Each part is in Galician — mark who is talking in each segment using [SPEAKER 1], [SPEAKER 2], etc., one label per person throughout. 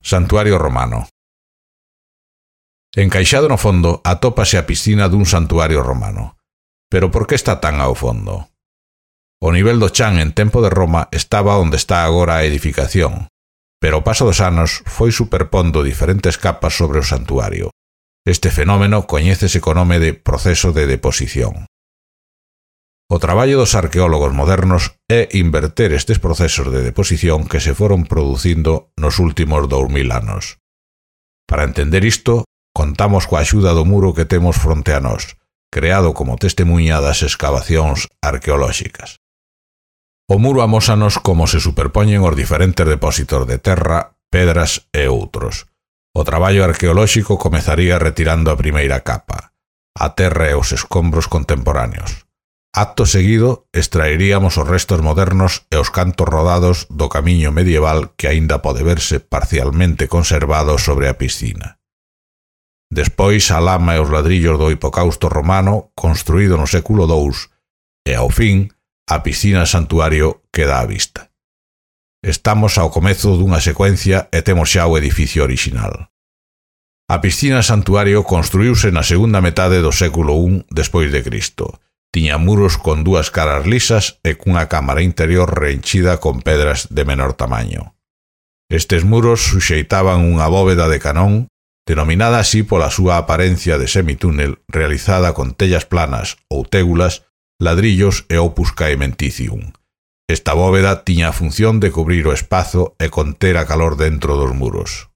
[SPEAKER 1] Santuario romano. Encaixado no fondo atópase a piscina dun santuario romano. Pero por que está tan ao fondo? O nivel do chan en tempo de Roma estaba onde está agora a edificación, pero ao paso dos anos foi superpondo diferentes capas sobre o santuario. Este fenómeno coñécese co nome de proceso de deposición. O traballo dos arqueólogos modernos é inverter estes procesos de deposición que se foron producindo nos últimos 2000 anos. Para entender isto, contamos coa axuda do muro que temos fronte a nós, creado como testemunha das escavacións arqueolóxicas. O muro amósanos como se superpoñen os diferentes depósitos de terra, pedras e outros. O traballo arqueolóxico comezaría retirando a primeira capa, a terra e os escombros contemporáneos. Acto seguido, extraeríamos os restos modernos e os cantos rodados do camiño medieval que aínda pode verse parcialmente conservado sobre a piscina. Despois a lama e os ladrillos do hipocausto romano construído no século II e, ao fin, a piscina santuario queda á vista. Estamos ao comezo dunha secuencia e temos xa o edificio orixinal. A piscina santuario construíuse na segunda metade do século I despois de Cristo. Tiña muros con dúas caras lisas e cunha cámara interior reenchida con pedras de menor tamaño. Estes muros suxeitaban unha bóveda de canón, denominada así pola súa aparencia de semitúnel realizada con tellas planas ou tégulas, ladrillos e opus caementicium. Esta bóveda tiña a función de cubrir o espazo e conter a calor dentro dos muros.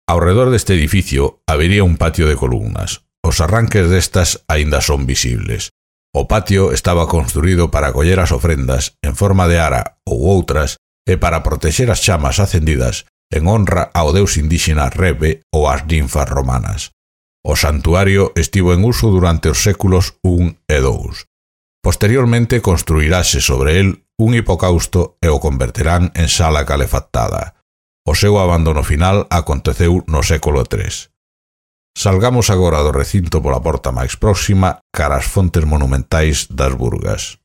[SPEAKER 1] Ao redor deste edificio habería un patio de columnas. Os arranques destas aínda son visibles. O patio estaba construído para acoller as ofrendas en forma de ara ou outras e para protexer as chamas acendidas en honra ao deus indíxena Rebe ou ás ninfas romanas. O santuario estivo en uso durante os séculos I e II. Posteriormente construirase sobre el un hipocausto e o converterán en sala calefactada. O seu abandono final aconteceu no século III. Salgamos agora do recinto pola porta máis próxima cara ás fontes monumentais das Burgas.